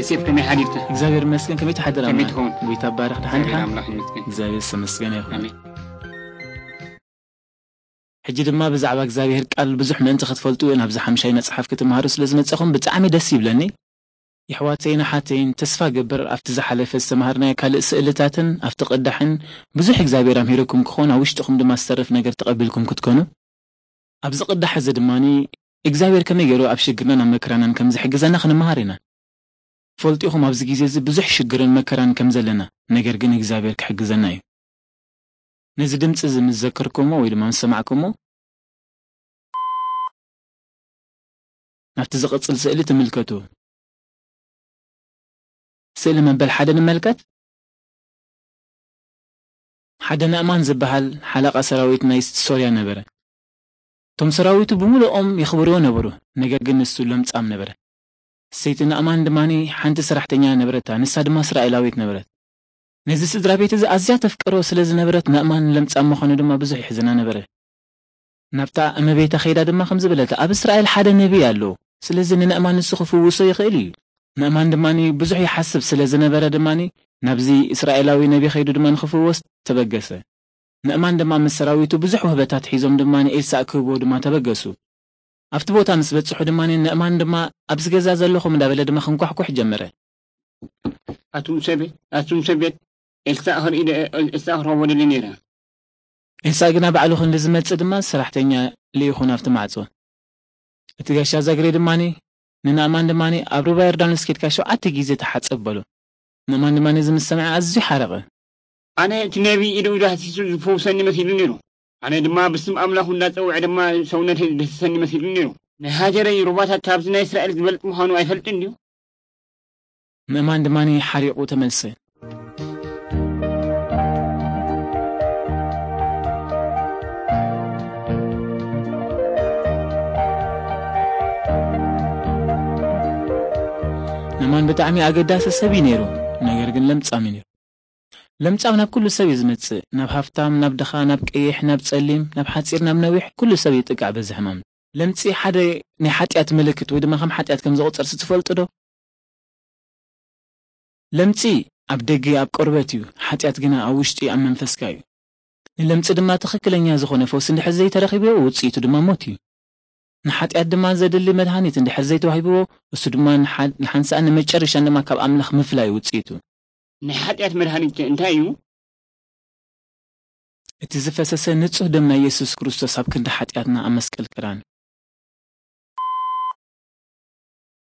ዮሴፍ፣ ከመይ ሓዲርካ? እግዚኣብሔር ይመስገን። ከመይ ትሓድር? ከመይ ኣማን? ትኸውን? ጎይታ ባርኽ። ደሓን ዲኻ? እግዚኣብሔር ኣምላኽ ይመስገን። እግዚኣብሔር ዝተመስገነ ይኹን። ኣሜን። ሕጂ ድማ ብዛዕባ እግዚኣብሔር ቃል ብዙሕ ምእንቲ ክትፈልጡ ናብዚ ሓምሻይ መጽሓፍ ክትምሃሩ ስለ ዝመጻኹም ብጣዕሚ ደስ ይብለኒ። የሕዋተይን ኣሓተይን፣ ተስፋ ገብር ኣብቲ ዝሓለፈ ዝተምሃርናዮ ካልእ ስእልታትን ኣብቲ ቅዳሕን ብዙሕ እግዚኣብሔር ኣምሂረኩም ክኾን፣ ኣብ ውሽጥኹም ድማ ዝተርፍ ነገር ተቐቢልኩም ክትኮኑ። ኣብዚ ቅዳሕ እዚ ድማኒ እግዚኣብሔር ከመይ ገይሩ ኣብ ሽግርናን ኣብ መከራናን ከም ዝሕግዘና ክንምሃር ኢና። ፈልጢኹም ኣብዚ ግዜ እዚ ብዙሕ ሽግርን መከራን ከም ዘለና፣ ነገር ግን እግዚኣብሔር ክሕግዘና እዩ። ነዚ ድምፂ እዚ ምስ ዘከርኩሞ ወይ ድማ ምስ ሰማዕኩሞ፣ ናብቲ ዝቕጽል ስእሊ ትምልከቱ። ስእሊ መበል ሓደ ንመልከት። ሓደ ናእማን ዝበሃል ሓለቓ ሰራዊት ናይ ሶርያ ነበረ። እቶም ሰራዊቱ ብምሉኦም የኽብርዎ ነበሩ፣ ነገር ግን ንሱ ለምጻም ነበረ። ሰይቲ ናእማን ድማኒ ሓንቲ ሰራሕተኛ ነበረታ፣ ንሳ ድማ እስራኤላዊት ነበረት። ነዚ ስድራ ቤት እዚ ኣዝያ ተፍቅሮ ስለ ዝነበረት፣ ናእማን ለምጻም ምዃኑ ድማ ብዙሕ ይሕዝና ነበረ። ናብታ እመቤታ ከይዳ ድማ ከምዚ በለታ፣ "ኣብ እስራኤል ሓደ ነቢይ ኣሎ፣ ስለዚ ንናእማን ንሱ ክፍውሶ ይኽእል እዩ።" ናእማን ድማኒ ብዙሕ ይሓስብ ስለ ዝነበረ ድማኒ ናብዚ እስራኤላዊ ነቢ ከይዱ ድማ ንክፍወስ ተበገሰ። ናእማን ድማ ምስ ሰራዊቱ ብዙሕ ውህበታት ሒዞም ድማ ንኤልሳእ ክህብዎ ድማ ተበገሱ። ኣብቲ ቦታ ምስ በጽሑ ድማ ናእማን ድማ፣ "ኣብዚ ገዛ ዘለኹም?" እንዳበለ ድማ ክንኳሕኩሕ ጀመረ። ኣቱም ሰብ ቤት፣ ኣቱም ሰብ ቤት፣ ኤልሳእ ክርኢ ደ-፣ ኤልሳእ ክረኽቦ ደልየ ነይረ። ኤልሳእ ግና ባዕሉ ክንዲ ዝመጽእ ድማ ሰራሕተኛ ልኢኹ ናብቲ ማዕጾ። እቲ ጋሻ ዛግሬ ድማኒ ንናእማን ድማኒ፣ "ኣብ ሩባ ዮርዳኖስ ኬድካ ሸውዓተ ግዜ ተሓጸብ" በሎ። ናእማን ድማ ነዚ ምስ ሰምዐ ኣዝዩ ሓረቐ። ኣነ እቲ ነቢይ ኢዱ ኢዱ ሃሲሱ ዝፈውሰኒ መሲሉ ነይሩ። ኣነ ድማ ብስም ኣምላኹ እንዳጸውዐ ድማ ሰውነተይ ዝደሰሰኒ መሲሉ ነይሩ። ናይ ሃገረይ ሩባታት ካብዚ ናይ እስራኤል ዝበልጽ ምዃኑ ኣይፈልጥን ድዩ? ናእማን ድማኒ ሓሪቑ ተመልሰ። ናእማን ብጣዕሚ ኣገዳሲ ሰብ እዩ ነይሩ፣ ነገር ግን ለምጻም እዩ ነይሩ። ለምጻም ናብ ኩሉ ሰብ እዩ ዝመጽእ፣ ናብ ሃፍታም፣ ናብ ድኻ፣ ናብ ቀይሕ፣ ናብ ጸሊም፣ ናብ ሓጺር፣ ናብ ነዊሕ፣ ኩሉ ሰብ ይጥቃዕ በዚ ሕማም። ለምጺ ሓደ ናይ ሓጢኣት ምልክት ወይ ድማ ከም ሓጢኣት ከም ዝቑጸር ትፈልጡ ዶ? ለምጺ ኣብ ደገ ኣብ ቆርበት እዩ፣ ሓጢኣት ግና ኣብ ውሽጢ ኣብ መንፈስካ እዩ። ንለምጺ ድማ ትኽክለኛ ዝኾነ ፈውሲ እንድሕር ዘይተረኺብዎ ውጽኢቱ ድማ ሞት እዩ። ንሓጢኣት ድማ ዘድሊ መድሃኒት እንድሕር ዘይተዋሂብዎ፣ እሱ ድማ ንሓ-፣ ንሓንሳእን ንመጨረሻን ድማ ካብ ኣምላኽ ምፍላይ ውጽኢቱ። ናይ ሓጢኣት መድሃኒት እንታይ እዩ? እቲ ዝፈሰሰ ንጹህ ደም ናይ የሱስ ክርስቶስ ኣብ ክንዲ ሓጢኣትና ኣብ መስቀል ክራን።